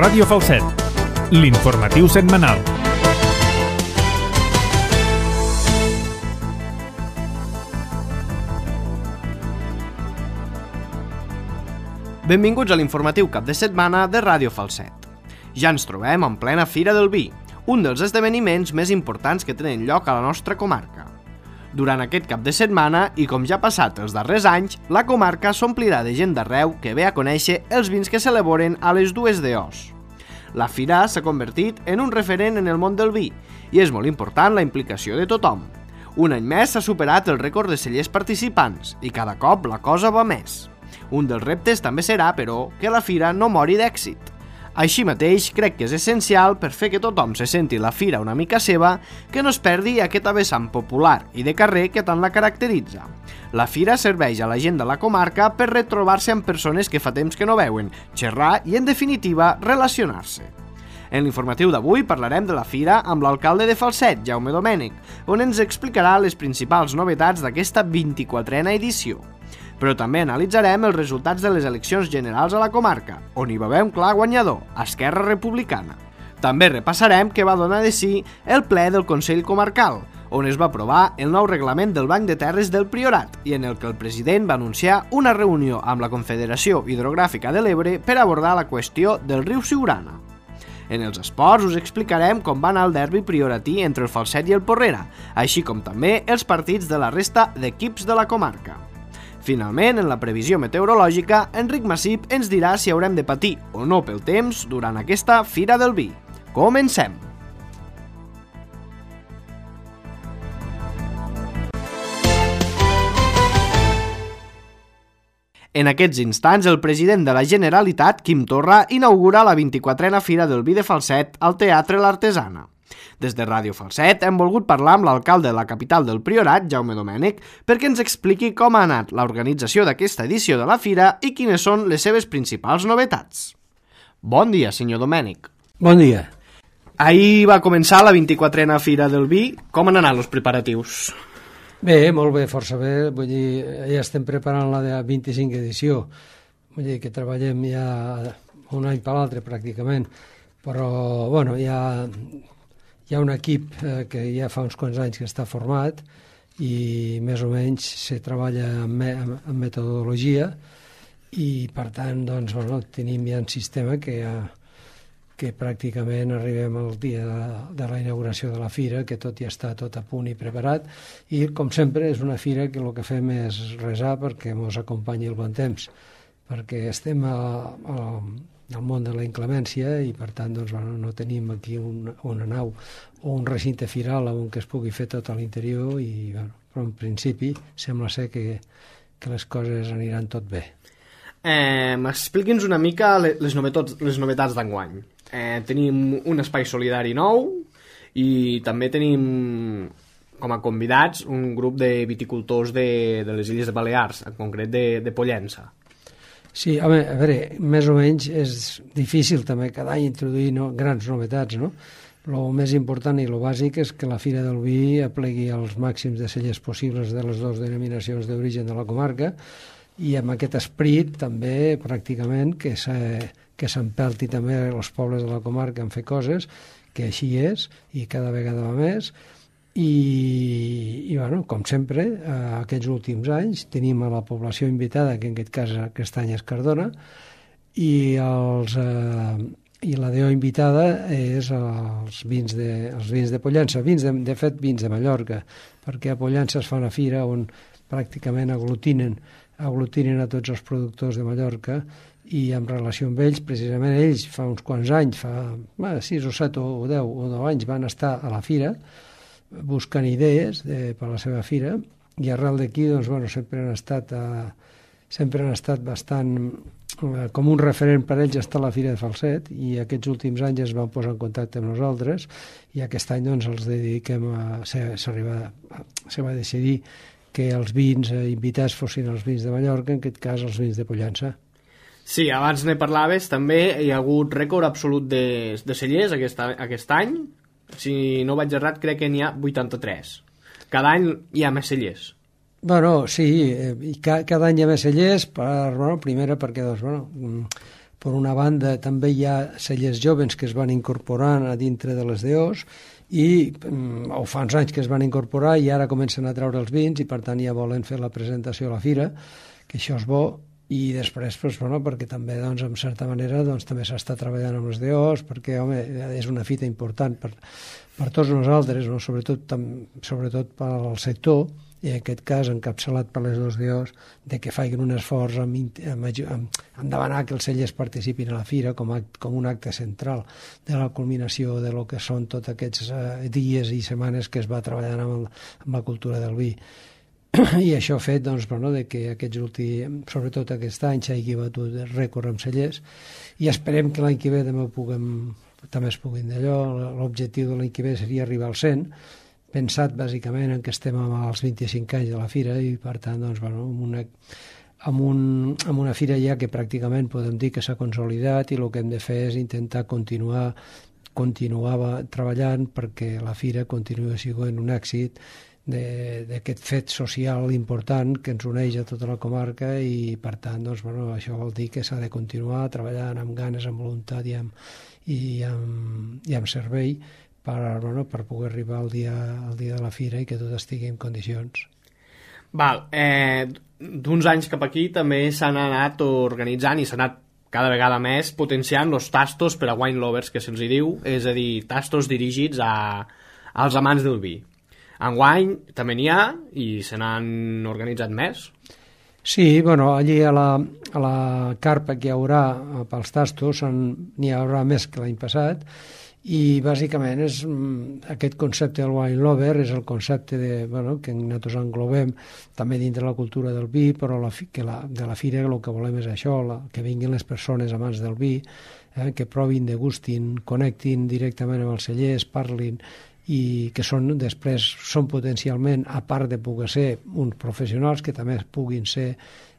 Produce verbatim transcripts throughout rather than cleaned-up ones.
Ràdio Falset, l'informatiu setmanal. Benvinguts a l'informatiu cap de setmana de Ràdio Falset. Ja ens trobem en plena Fira del Vi, un dels esdeveniments més importants que tenen lloc a la nostra comarca. Durant aquest cap de setmana, i com ja ha passat els darrers anys, la comarca s'omplirà de gent d'arreu que ve a conèixer els vins que s'elaboren a les dues D Os. La fira s'ha convertit en un referent en el món del vi i és molt important la implicació de tothom. Un any més s'ha superat el rècord de cellers participants i cada cop la cosa va més. Un dels reptes també serà, però, que la fira no mori d'èxit. Així mateix, crec que és essencial, per fer que tothom se senti la fira una mica seva, que no es perdi aquesta vessant popular i de carrer que tant la caracteritza. La fira serveix a la gent de la comarca per retrobar-se amb persones que fa temps que no veuen, xerrar i, en definitiva, relacionar-se. En l'informatiu d'avui parlarem de la fira amb l'alcalde de Falset, Jaume Domènech, on ens explicarà les principals novetats d'aquesta vint-i-quatrena edició. Però també analitzarem els resultats de les eleccions generals a la comarca, on hi va haver un clar guanyador, Esquerra Republicana. També repassarem què va donar de si el ple del Consell Comarcal, on es va aprovar el nou reglament del Banc de Terres del Priorat i en el que el president va anunciar una reunió amb la Confederació Hidrogràfica de l'Ebre per abordar la qüestió del riu Siurana. En els esports us explicarem com va anar el derbi prioratí entre el Falset i el Porrera, així com també els partits de la resta d'equips de la comarca. Finalment, en la previsió meteorològica, Enric Massip ens dirà si haurem de patir o no pel temps durant aquesta Fira del Vi. Comencem! En aquests instants, el president de la Generalitat, Quim Torra, inaugura la vint-i-quatrena Fira del Vi de Falset al Teatre L'Artesana. Des de Ràdio Falset hem volgut parlar amb l'alcalde de la capital del Priorat, Jaume Domènech, perquè ens expliqui com ha anat l'organització d'aquesta edició de la fira i quines són les seves principals novetats. Bon dia, senyor Domènech. Bon dia. Ahir va començar la vint-i-quatrena Fira del Vi. Com han anat els preparatius? Bé, molt bé, força bé. Vull dir, ja estem preparant la de vint-i-cinc edició. Vull dir que treballem ja un any per l'altre, pràcticament. Però, bueno, ja... Hi ha un equip eh, que ja fa uns quants anys que està format i més o menys se treballa amb, me amb metodologia i per tant doncs, bueno, tenim ja un sistema que, ja, que pràcticament arribem al dia de, de la inauguració de la fira, que tot ja està tot a punt i preparat i com sempre és una fira que el que fem és resar perquè ens acompanyi el bon temps, perquè estem a, a al món de la inclemència i per tant doncs, bueno, no tenim aquí un, una nau o un recinte firal on que es pugui fer tot a l'interior i bueno, però en principi sembla ser que, que les coses aniran tot bé. Eh, Expliqui'ns una mica les novetats, les novetats d'enguany. Eh, tenim un espai solidari nou i també tenim com a convidats un grup de viticultors de, de les Illes de Balears, en concret de, de Pollença. Sí, home, a veure, més o menys és difícil també cada any introduir no, grans novetats, no? El més important i el bàsic és que la Fira del Vi aplegui els màxims de cellers possibles de les dues denominacions d'origen de la comarca i amb aquest esperit també pràcticament que s'empelti també els pobles de la comarca en fer coses, que així és i cada vegada va més. I, i bueno, com sempre, eh, aquests últims anys tenim a la població invitada, que en aquest cas aquest any és Cardona, i, els, eh, i la D O invitada és els vins de, els vins de Pollença, vins de, de fet vins de Mallorca, perquè a Pollença es fa una fira on pràcticament aglutinen, aglutinen a tots els productors de Mallorca i en relació amb ells, precisament ells fa uns quants anys, fa bueno, sis o set o deu o deu anys van estar a la fira buscant idees de, per a la seva fira i arrel d'aquí doncs, bueno, sempre han estat a, sempre han estat bastant eh, com un referent per ells estar a la Fira de Falset i aquests últims anys es van posar en contacte amb nosaltres i aquest any doncs, els dediquem a, s'arriba, se va decidir que els vins eh, invitats fossin els vins de Mallorca, en aquest cas els vins de Pollença. Sí, abans ne parlaves, també hi ha hagut rècord absolut de, de cellers aquest, aquest any. Si no vaig errat, crec que n'hi ha vuitanta-tres. Cada any hi ha més cellers. Bueno, sí, i ca, cada any hi ha més cellers, per, bueno, primera perquè doncs, bueno, Per una banda, també hi ha cellers joves que es van incorporant a dintre de les D Os i mm, o fa uns anys que es van incorporar i ara comencen a treure els vins i per tant ja volen fer la presentació a la fira, que això és bo. I després, doncs, bueno, perquè també, doncs, en certa manera, doncs, també s'està treballant amb les D Os, perquè, home, és una fita important per, per tots nosaltres, no? sobretot, tam, sobretot pel sector, i en aquest cas encapçalat per les dos D Os, de que facin un esforç amb, amb, amb, amb demanar que els cellers participin a la fira com, act, com un acte central de la culminació de lo que són tots aquests eh, dies i setmanes que es va treballant amb, el, amb la cultura del vi. I això ha fet, doncs, bueno, de que aquests últims, sobretot aquest any, s'hagi batut rècord amb cellers i esperem que l'any que ve també, puguem, també es puguin d'allò. L'objectiu de l'any que ve seria arribar al cent, pensat bàsicament en que estem als vint-i-cinc anys de la fira i per tant, doncs, bueno, amb una, amb, un, amb una fira ja que pràcticament podem dir que s'ha consolidat i el que hem de fer és intentar continuar continuava treballant perquè la fira continuï sent un èxit d'aquest fet social important que ens uneix a tota la comarca i per tant doncs, bueno, això vol dir que s'ha de continuar treballant amb ganes, amb voluntat i amb, i amb, i amb servei per, bueno, per poder arribar al dia, al dia de la fira i que tot estigui en condicions. Val, eh, d'uns anys cap aquí també s'han anat organitzant i s'ha anat cada vegada més potenciant els tastos per a wine lovers, que se'ls diu, és a dir, tastos dirigits a, als amants del vi. Enguany també n'hi ha i se n'han organitzat més. Sí, bueno, allí a la, a la carpa que hi haurà pels tastos n'hi haurà més que l'any passat i bàsicament és aquest concepte del wine lover és el concepte de, bueno, que nosaltres englobem també dintre la cultura del vi, però la, que la, de la fira el que volem és això, la, que vinguin les persones amants del vi, eh, que provin, degustin, connectin directament amb els cellers, parlin i que són després són potencialment, a part de poder ser uns professionals, que també puguin ser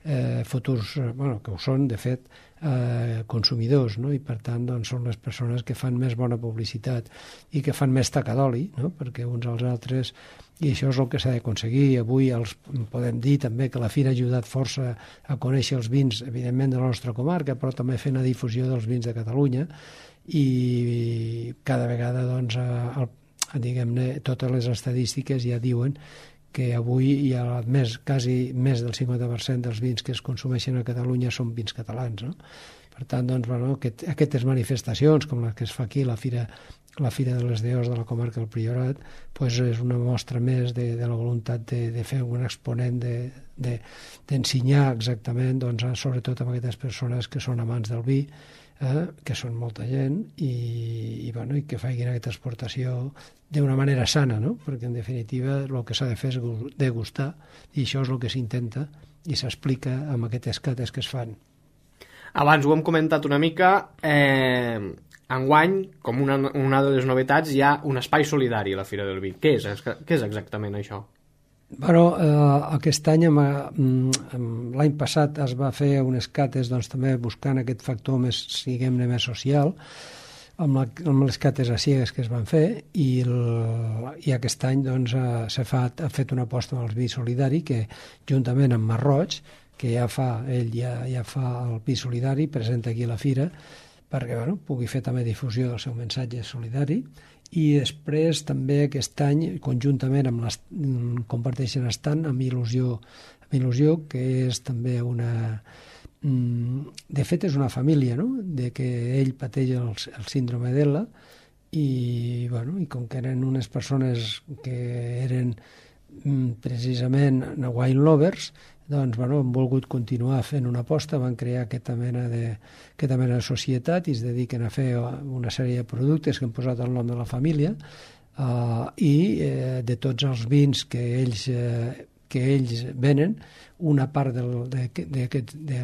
eh, futurs, bueno, que ho són de fet, eh, consumidors, no? I per tant doncs, són les persones que fan més bona publicitat i que fan més taca d'oli, no? Perquè uns als altres, i això és el que s'ha d'aconseguir. Avui els podem dir també que la fira ha ajudat força a conèixer els vins, evidentment, de la nostra comarca, però també fent la difusió dels vins de Catalunya i cada vegada doncs, el diguem-ne, totes les estadístiques ja diuen que avui hi ha més, quasi més del cinquanta per cent dels vins que es consumeixen a Catalunya són vins catalans, no? Per tant, doncs, bueno, aquest, aquestes manifestacions, com les que es fa aquí, la Fira, la Fira de les D Os de la comarca del Priorat, pues és una mostra més de, de la voluntat de, de fer un exponent d'ensenyar de, de, exactament, doncs, sobretot a aquestes persones que són amants del vi, eh, que són molta gent, i, i, bueno, i que facin aquesta exportació d'una manera sana, no? Perquè en definitiva el que s'ha de fer és degustar i això és el que s'intenta i s'explica amb aquestes cates que es fan. Abans ho hem comentat una mica, eh, enguany, com una, una de les novetats, hi ha un espai solidari a la Fira del Vi. Què és, què és exactament això? Bueno, eh, aquest any, l'any passat es va fer unes cates doncs, també buscant aquest factor més, diguem-ne, més social, amb, la, amb les cates a ciegues que es van fer i, el, i aquest any doncs, s'ha fet, ha fet una aposta amb el vi solidari que juntament amb Marroig, que ja fa, ell ja, ja fa el vi solidari, presenta aquí a la fira perquè bueno, pugui fer també difusió del seu missatge solidari i després també aquest any conjuntament amb les, comparteixen estant amb Il·lusió, amb Il·lusió que és també una... De fet, és una família, no? De que ell pateix el, el síndrome d'Ela i, bueno, i com que eren unes persones que eren precisament wine lovers, doncs, bueno, han volgut continuar fent una aposta, van crear aquesta mena de, aquesta mena de societat i es dediquen a fer una sèrie de productes que han posat el nom de la família uh, i eh, de tots els vins que ells... Eh, que ells venen, una part del, de, de, de, de,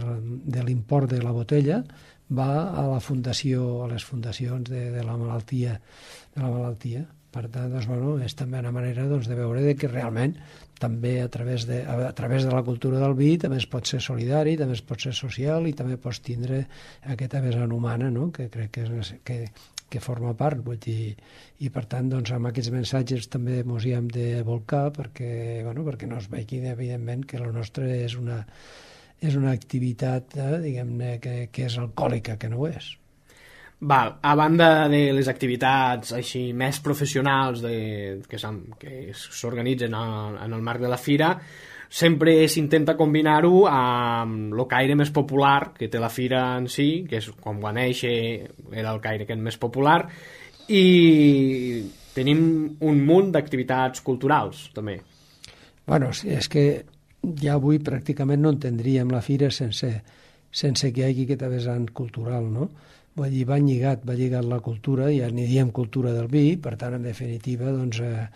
de l'import de la botella va a la fundació, a les fundacions de, de la malaltia, de la malaltia. Per tant, doncs, bueno, és també una manera doncs, de veure de que realment també a través, de, a través de la cultura del vi també es pot ser solidari, també es pot ser social i també pots tindre aquesta vessant humana, no? Que crec que, és, que, que forma part, vull dir, i per tant doncs, amb aquests missatges també ens hi hem de volcar perquè, bueno, perquè no es vegi evidentment que el nostre és una, és una activitat, eh, diguem-ne, que, que és alcohòlica, que no ho és. Val, a banda de les activitats així més professionals de, que s'organitzen en el marc de la fira, sempre s'intenta combinar-ho amb el caire més popular que té la fira en si, que és com va néixer, era el caire aquest més popular, i tenim un munt d'activitats culturals, també. Bueno, és que ja avui pràcticament no entendríem la fira sense, sense que hi hagi aquest vessant cultural, no? Vull dir, va lligat, va lligat la cultura, ja n'hi diem cultura del vi, per tant, en definitiva, doncs, eh,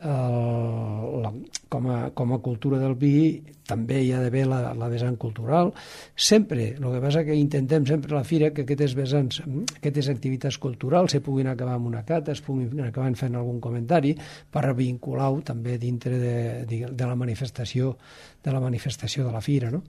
el, la, com, a, com a cultura del vi també hi ha d'haver la, la vessant cultural. Sempre, el que passa que intentem sempre a la fira que aquestes vessants, aquestes activitats culturals se puguin acabar amb una cata, es puguin acabar fent algun comentari per vincular-ho també dintre de, de, de la manifestació de la manifestació de la fira, no?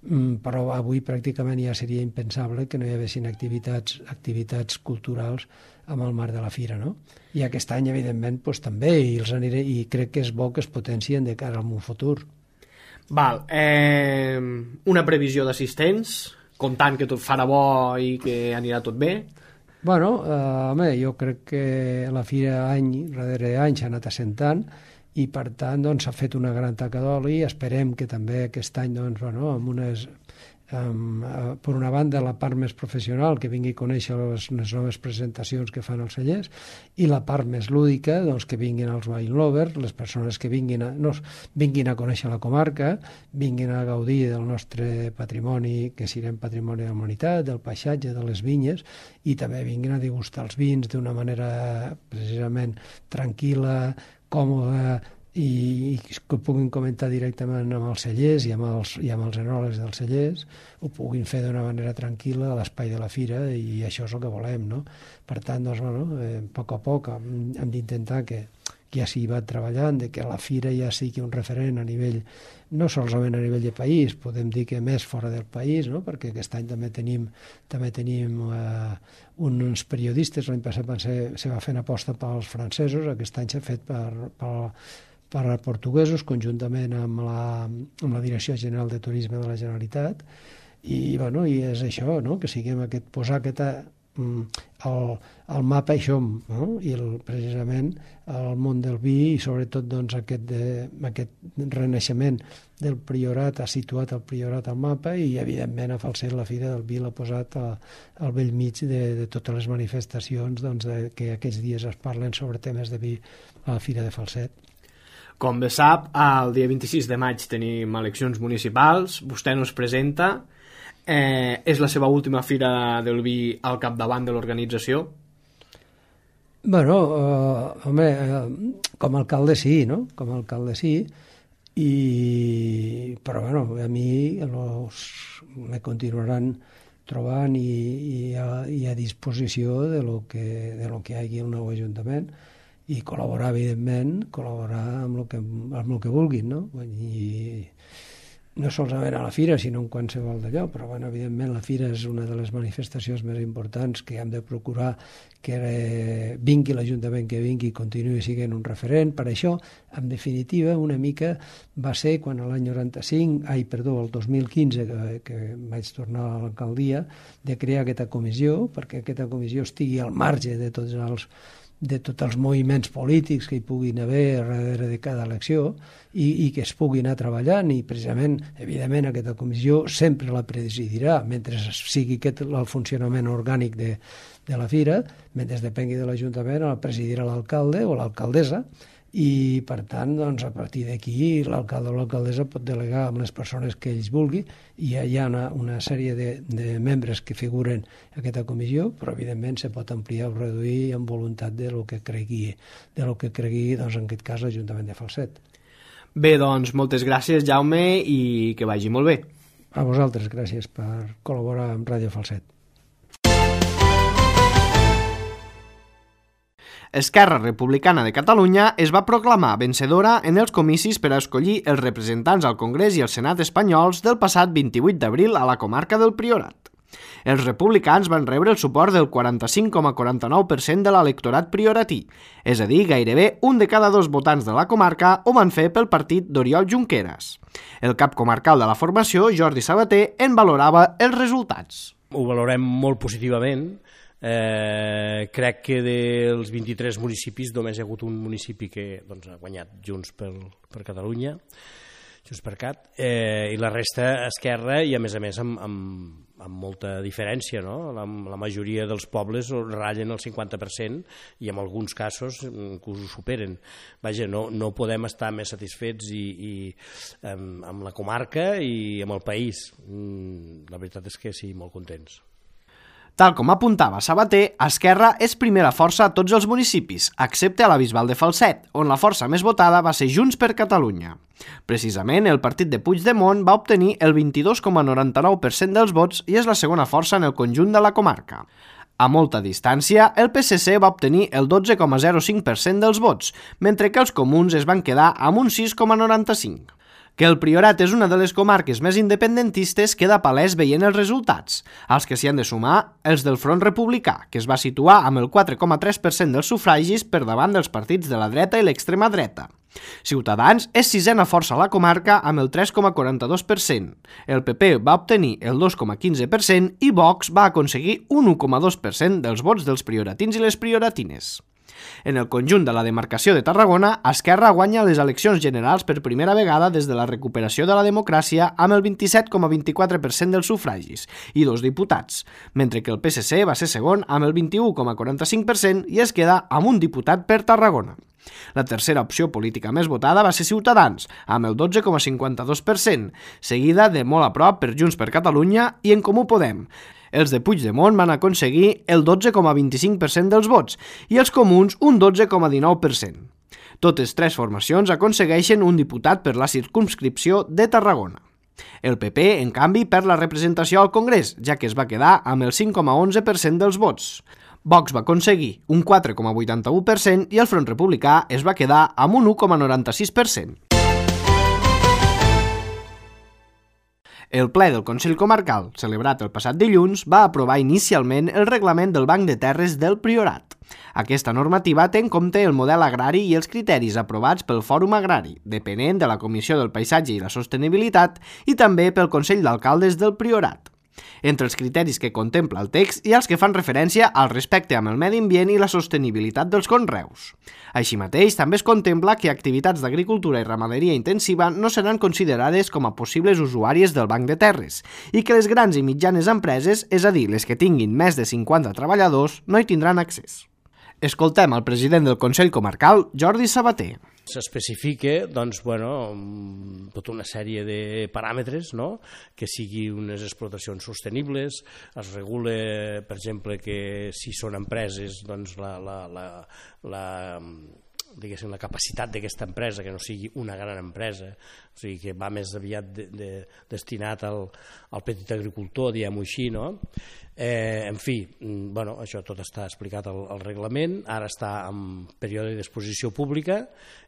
Mm, però avui pràcticament ja seria impensable que no hi haguessin activitats, activitats culturals amb el marc de la fira, no? I aquest any, evidentment, doncs, també, i, els aniré, i crec que és bo que es potencien de cara al futur. Val, eh, una previsió d'assistents, comptant que tot farà bo i que anirà tot bé? Bueno, eh, home, jo crec que la fira any darrere any s'ha anat assentant, i per tant doncs, s'ha fet una gran taca d'oli. Esperem que també aquest any doncs, bueno, amb unes, um, uh, per una banda la part més professional, que vingui a conèixer les, les noves presentacions que fan els cellers, i la part més lúdica, doncs, que vinguin els wine lovers, les persones que vinguin a, no, vinguin a conèixer la comarca, vinguin a gaudir del nostre patrimoni, que siguem patrimoni de la humanitat, del paisatge, de les vinyes, i també vinguin a degustar els vins d'una manera precisament tranquil·la, còmode, i, i que ho puguin comentar directament amb els cellers i amb els, i amb els enòlegs dels cellers, ho puguin fer d'una manera tranquil·la a l'espai de la fira, i això és el que volem, no? Per tant, doncs, bueno, eh, a poc a poc hem, hem d'intentar que, que ja s'hi va treballant, de que la fira ja sigui un referent a nivell, no solament a nivell de país, podem dir que més fora del país, no? Perquè aquest any també tenim, també tenim eh, uns periodistes, l'any passat van ser, se va fer una aposta pels francesos, aquest any s'ha fet per, per, per portuguesos, conjuntament amb la, amb la Direcció General de Turisme de la Generalitat, i, bueno, i és això, no? Que siguem aquest, posar aquesta El, el mapa això, no? I el, precisament el món del vi, i sobretot doncs, aquest, de, aquest renaixement del Priorat, ha situat el Priorat al mapa, i evidentment a Falset la Fira del Vi l'ha posat a, al bell mig de, de totes les manifestacions, doncs, de, que aquests dies es parlen sobre temes de vi a la Fira de Falset. Com bé sap, el dia vint-i-sis de maig tenim eleccions municipals, vostè no es presenta. Eh, és la seva última fira del vi al capdavant de l'organització? Bueno, eh, home, eh, com a alcalde sí, no? Com a alcalde sí, i, però bueno, a mi los, me continuaran trobant i, i, a, i a disposició de lo que, de lo que hi hagi al nou Ajuntament, i col·laborar, evidentment, col·laborar amb el que, amb el que vulguin, no? I no solament a la fira, sinó en qualsevol d'allò, però bueno, evidentment la fira és una de les manifestacions més importants que hem de procurar que eh, vingui l'Ajuntament que vingui i continuï sent un referent. Per això, en definitiva, una mica va ser quan l'any noranta-cinc, ai, perdó, el dos mil quinze, que, que vaig tornar a l'alcaldia, de crear aquesta comissió, perquè aquesta comissió estigui al marge de tots els de tots els moviments polítics que hi puguin haver darrere de cada elecció, i, i que es puguin anar treballant, i precisament, evidentment, aquesta comissió sempre la presidirà, mentre sigui aquest el funcionament orgànic de, de la fira, mentre depengui de l'Ajuntament, la presidirà l'alcalde o l'alcaldessa, i per tant, doncs, a partir d'aquí l'alcalde o l'alcaldessa pot delegar amb les persones que ells vulgui, i hi ha una, una sèrie de, de membres que figuren en aquesta comissió, però evidentment se pot ampliar o reduir en voluntat de lo que cregui, de lo que cregui, doncs, en aquest cas l'Ajuntament de Falset. Bé, doncs, moltes gràcies, Jaume, i que vagi molt bé. A vosaltres, gràcies per col·laborar amb Ràdio Falset. Esquerra Republicana de Catalunya es va proclamar vencedora en els comicis per a escollir els representants al Congrés i al Senat espanyols del passat vint-i-vuit d'abril a la comarca del Priorat. Els republicans van rebre el suport del quaranta-cinc coma quaranta-nou per cent de l'electorat prioratí, és a dir, gairebé un de cada dos votants de la comarca ho van fer pel partit d'Oriol Junqueras. El cap comarcal de la formació, Jordi Sabater, en valorava els resultats. Ho valorem molt positivament. Eh, crec que dels vint-i-tres municipis només hi ha hagut un municipi que doncs, ha guanyat Junts per, per Catalunya, Junts per Cat, eh, i la resta Esquerra, i a més a més amb, amb, amb molta diferència, no? La, la majoria dels pobles ratllen el cinquanta per cent i en alguns casos inclús ho superen. Vaja, no, no podem estar més satisfets i, i, amb, amb la comarca i amb el país. La veritat és que sí, molt contents. Tal com apuntava Sabater, Esquerra és primera força a tots els municipis, excepte a la Bisbal de Falset, on la força més votada va ser Junts per Catalunya. Precisament, el partit de Puigdemont va obtenir el vint-i-dos coma noranta-nou per cent dels vots i és la segona força en el conjunt de la comarca. A molta distància, el P S C va obtenir el dotze coma zero cinc per cent dels vots, mentre que els comuns es van quedar amb un sis coma noranta-cinc per cent. Que el Priorat és una de les comarques més independentistes queda palès veient els resultats, als que s'hi han de sumar els del Front Republicà, que es va situar amb el quatre coma tres per cent dels sufragis per davant dels partits de la dreta i l'extrema dreta. Ciutadans és sisena força a la comarca amb el tres coma quaranta-dos per cent. El P P va obtenir el dos coma quinze per cent i Vox va aconseguir un u coma dos per cent dels vots dels prioratins i les prioratines. En el conjunt de la demarcació de Tarragona, Esquerra guanya les eleccions generals per primera vegada des de la recuperació de la democràcia amb el vint-i-set coma vint-i-quatre per cent dels sufragis i dos diputats, mentre que el P S C va ser segon amb el vint-i-u coma quaranta-cinc per cent i es queda amb un diputat per Tarragona. La tercera opció política més votada va ser Ciutadans, amb el dotze coma cinquanta-dos per cent, seguida de molt a prop per Junts per Catalunya i En Comú Podem. Els de Puigdemont van aconseguir el dotze coma vint-i-cinc per cent dels vots i els comuns un dotze coma dinou per cent. Totes tres formacions aconsegueixen un diputat per la circumscripció de Tarragona. El P P, en canvi, perd la representació al Congrés, ja que es va quedar amb el cinc coma onze per cent dels vots. Vox va aconseguir un quatre coma vuitanta-u per cent i el Front Republicà es va quedar amb un u coma noranta-sis per cent. El ple del Consell Comarcal, celebrat el passat dilluns, va aprovar inicialment el reglament del Banc de Terres del Priorat. Aquesta normativa té en compte el model agrari i els criteris aprovats pel Fòrum Agrari, depenent de la Comissió del Paisatge i la Sostenibilitat, i també pel Consell d'Alcaldes del Priorat. Entre els criteris que contempla el text hi ha els que fan referència al respecte amb el medi ambient i la sostenibilitat dels conreus. Així mateix, també es contempla que activitats d'agricultura i ramaderia intensiva no seran considerades com a possibles usuàries del Banc de Terres i que les grans i mitjanes empreses, és a dir, les que tinguin més de cinquanta treballadors, no hi tindran accés. Escoltem el president del Consell Comarcal, Jordi Sabater. S'especifica doncs, bueno, tota una sèrie de paràmetres, no? Que siguin unes explotacions sostenibles, es regula, per exemple, que si són empreses, doncs la, la, la, la, diguéssim, la capacitat d'aquesta empresa, que no sigui una gran empresa, o sigui, que va més aviat de, de, destinat al, al petit agricultor, diguem-ho així, no? Eh, en fi, bueno, això tot està explicat al, al reglament, ara està en període d'exposició pública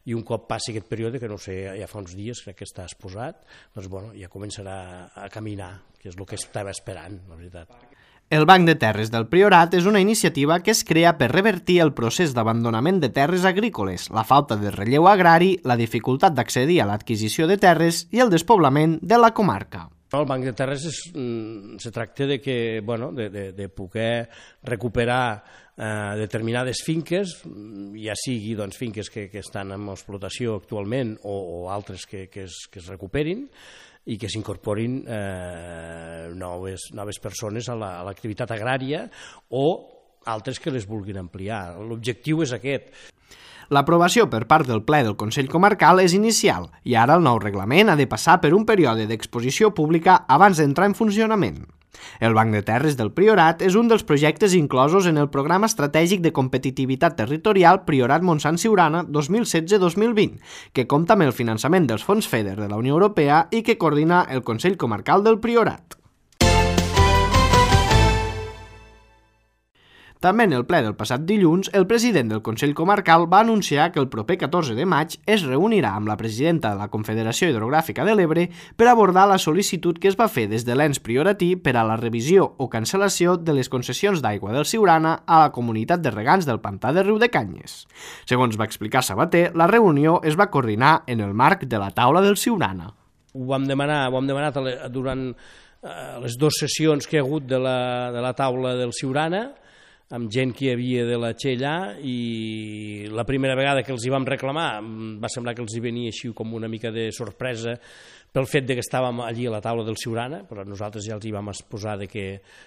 i un cop passi aquest període, que no sé, ja fa uns dies crec que està exposat, doncs bueno, ja començarà a caminar, que és el que estava esperant, la veritat. El Banc de Terres del Priorat és una iniciativa que es crea per revertir el procés d'abandonament de terres agrícoles, la falta de relleu agrari, la dificultat d'accedir a l'adquisició de terres i el despoblament de la comarca. El Banc de Terres es, se tracta de, que, bueno, de, de, de poder recuperar eh, determinades finques, ja sigui doncs, finques que, que estan en explotació actualment o, o altres que, que, es, que es recuperin, i que s'incorporin eh, noves, noves persones a l'activitat la, agrària o altres que les vulguin ampliar. L'objectiu és aquest. L'aprovació per part del ple del Consell Comarcal és inicial i ara el nou reglament ha de passar per un període d'exposició pública abans d'entrar en funcionament. El Banc de Terres del Priorat és un dels projectes inclosos en el Programa Estratègic de Competitivitat Territorial Priorat Montsant Siurana dos mil setze dos mil vint, que compta amb el finançament dels fons FEDER de la Unió Europea i que coordina el Consell Comarcal del Priorat. També en el ple del passat dilluns, el president del Consell Comarcal va anunciar que el proper catorze de maig es reunirà amb la presidenta de la Confederació Hidrogràfica de l'Ebre per abordar la sol·licitud que es va fer des de l'ens prioratí per a la revisió o cancel·lació de les concessions d'aigua del Siurana a la comunitat de regants del pantà de Riudecanyes. Segons va explicar Sabater, la reunió es va coordinar en el marc de la taula del Siurana. Ho vam demanar, ho hem demanat durant les dues sessions que hi ha hagut de la, de la taula del Siurana, amb gent que hi havia de la Txellà, i la primera vegada que els hi vam reclamar va semblar que els hi venia així com una mica de sorpresa pel fet de que estàvem allí a la taula del Siurana, però nosaltres ja els hi vam exposar de que,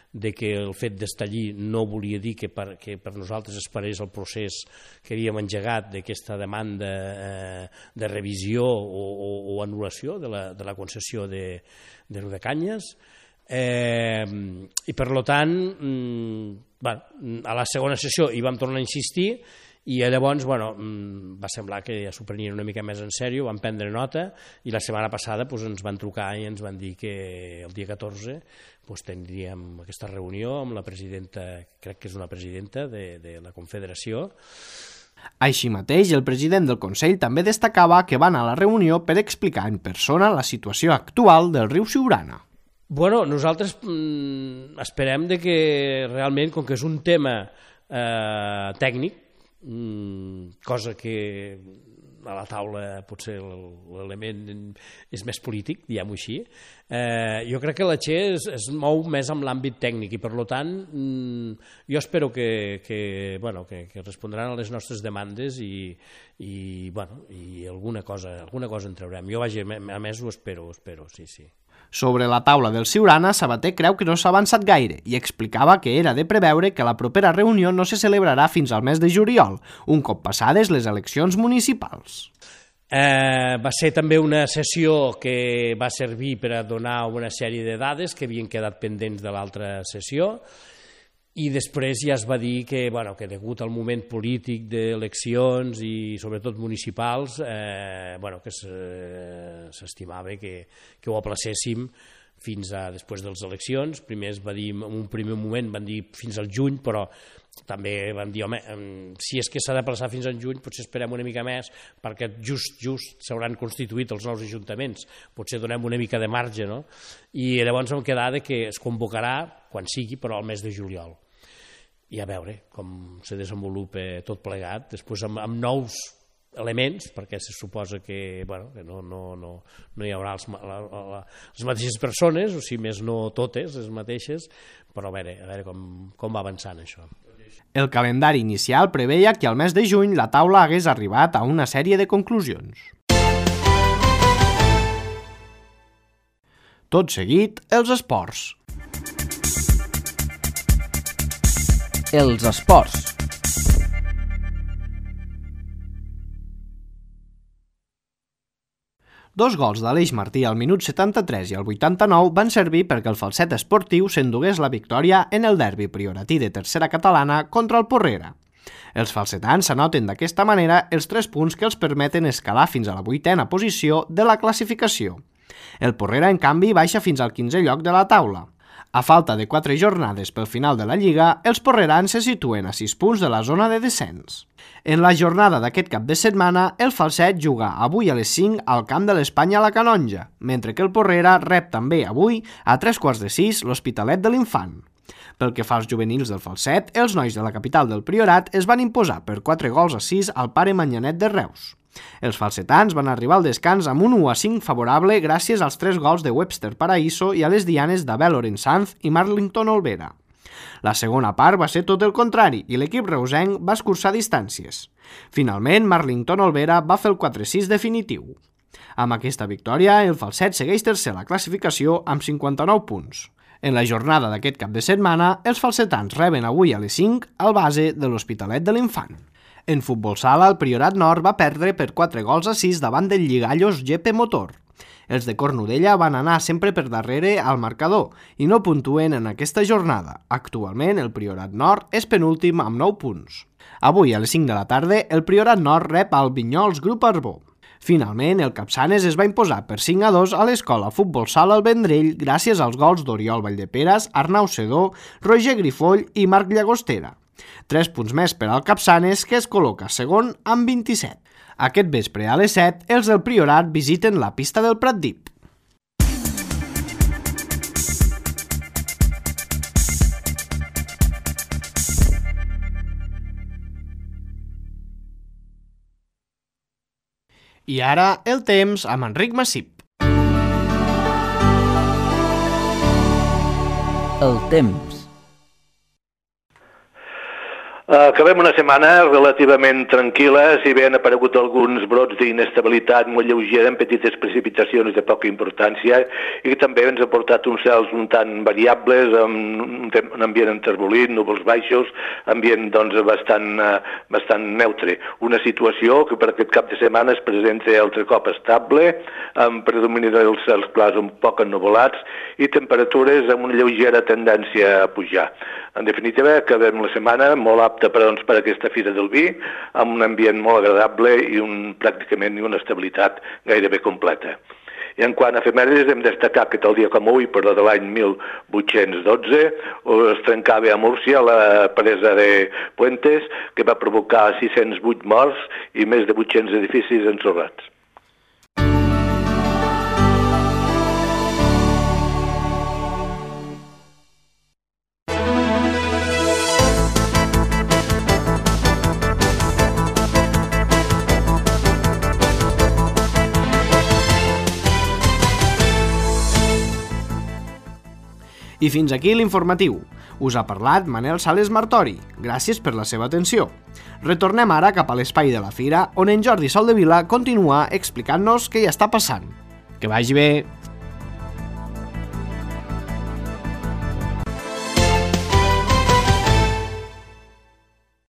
de que el fet d'estar allí no volia dir que per, que per nosaltres es parés el procés que havíem engegat d'aquesta demanda eh, de revisió o, o, o anul·lació de la, de la concessió de, de Riudecanyes. Eh, i per tant mm, bueno, a la segona sessió hi vam tornar a insistir i llavors bueno, va semblar que ja s'ho prenien una mica més en sèrio, vam prendre nota i la setmana passada doncs, ens van trucar i ens van dir que el dia catorze doncs, tindríem aquesta reunió amb la presidenta, crec que és una presidenta de, de la Confederació. Així mateix, el president del Consell també destacava que van a la reunió per explicar en persona la situació actual del riu Siurana. Bueno, nosaltres mm, esperem de que realment, com que és un tema eh, tècnic, mm, cosa que a la taula potser l'element és més polític, diguem-ho així, eh, jo crec que la Txe es, es mou més amb l'àmbit tècnic i per tant mm, jo espero que, que, bueno, que, que respondran a les nostres demandes i, i, bueno, i alguna cosa, alguna cosa en traurem. Jo vaja, a més ho espero, ho espero, sí, sí. Sobre la taula del Siurana, Sabater creu que no s'ha avançat gaire i explicava que era de preveure que la propera reunió no se celebrarà fins al mes de juliol, un cop passades les eleccions municipals. Eh, va ser també una sessió que va servir per a donar una sèrie de dades que havien quedat pendents de l'altra sessió i després ja es va dir que, bueno, que degut al moment polític d'eleccions i sobretot municipals, eh, bueno, que s'estimava que, que ho aplacéssim fins a després de les eleccions. Primer es va dir, en un primer moment van dir fins al juny, però també van dir, home, si és que s'ha d'aplaçar fins al juny, potser esperem una mica més, perquè just, just s'hauran constituït els nous ajuntaments, potser donem una mica de marge, no? I llavors vam quedar que es convocarà, quan sigui, però al mes de juliol. I a veure com se desenvolupa tot plegat, després amb, amb nous elements, perquè se suposa que, bueno, que no, no, no, no hi haurà els, la, la, les mateixes persones, o sigui, més no totes les mateixes, però a veure, a veure com, com va avançant això. El calendari inicial preveia que al mes de juny la taula hagués arribat a una sèrie de conclusions. Tot seguit, els esports. Els esports. Dos gols d'Aleix Martí al minut setanta-tres i al vuitanta-nou van servir perquè el Falset esportiu s'endugués la victòria en el derbi prioratí de tercera catalana contra el Porrera. Els falsetans s'anoten d'aquesta manera els tres punts que els permeten escalar fins a la vuitena posició de la classificació. El Porrera, en canvi, baixa fins al quinzè lloc de la taula. A falta de quatre jornades pel final de la Lliga, els porrerans se situen a sis punts de la zona de descens. En la jornada d'aquest cap de setmana, el Falset juga avui a les cinc al camp de l'Espanya a la Canonja, mentre que el Porrera rep també avui a tres quarts de sis l'Hospitalet de l'Infant. Pel que fa als juvenils del Falset, els nois de la capital del Priorat es van imposar per quatre gols a sis al Pare Manyanet de Reus. Els falsetans van arribar al descans amb un u a cinc favorable gràcies als tres gols de Webster Paraíso i a les dianes d'Abel Orensanz i Marlington Olvera. La segona part va ser tot el contrari i l'equip reusenc va escurçar distàncies. Finalment, Marlington Olvera va fer el quatre a sis definitiu. Amb aquesta victòria, el Falset segueix tercer a la classificació amb cinquanta-nou punts. En la jornada d'aquest cap de setmana, els falsetans reben avui a les cinc al base de l'Hospitalet de l'Infant. En futbol sala, el Priorat Nord va perdre per quatre gols a sis davant del Lligallos G P Motor. Els de Cornudella van anar sempre per darrere al marcador i no puntuen en aquesta jornada. Actualment, el Priorat Nord és penúltim amb nou punts. Avui, a les cinc de la tarda, el Priorat Nord rep al Vinyols Grup Arbó. Finalment, el Capçanes es va imposar per cinc a dos a l'escola Futbol Sala al Vendrell gràcies als gols d'Oriol Valldeperes, Arnau Sedó, Roger Grifoll i Marc Llagostera. Tres punts més per al Capçanes, que es col·loca segon amb vint-i-set. Aquest vespre a les set, els del Priorat visiten la pista del Pratdip. I ara el temps amb Enric Massip. El temps. Acabem una setmana relativament tranquil·la, si bé han aparegut alguns brots d'inestabilitat molt lleugera amb petites precipitacions de poca importància i que també ens ha portat uns cels un tant variables, amb un ambient enterbolit, núvols baixos, ambient doncs, bastant, bastant neutre. Una situació que per aquest cap de setmana es presenta altre cop estable, amb predomini dels cels clars un poc ennuvolats i temperatures amb una lleugera tendència a pujar. En definitiva, acabem la setmana molt apta per, doncs, per aquesta Fira del Vi, amb un ambient molt agradable i un, pràcticament una estabilitat gairebé completa. I en quant a efemèrides, hem destacat que tal dia com avui, per la de l'any mil vuit-cents dotze, es trencava a Múrcia la presa de Puentes, que va provocar sis-cents vuit morts i més de vuit-cents edificis ensorrats. I fins aquí l'informatiu. Us ha parlat Manel Sales Martori. Gràcies per la seva atenció. Retornem ara cap a l'espai de la Fira, on en Jordi Soldevila continua explicant-nos què hi està passant. Que vagi bé!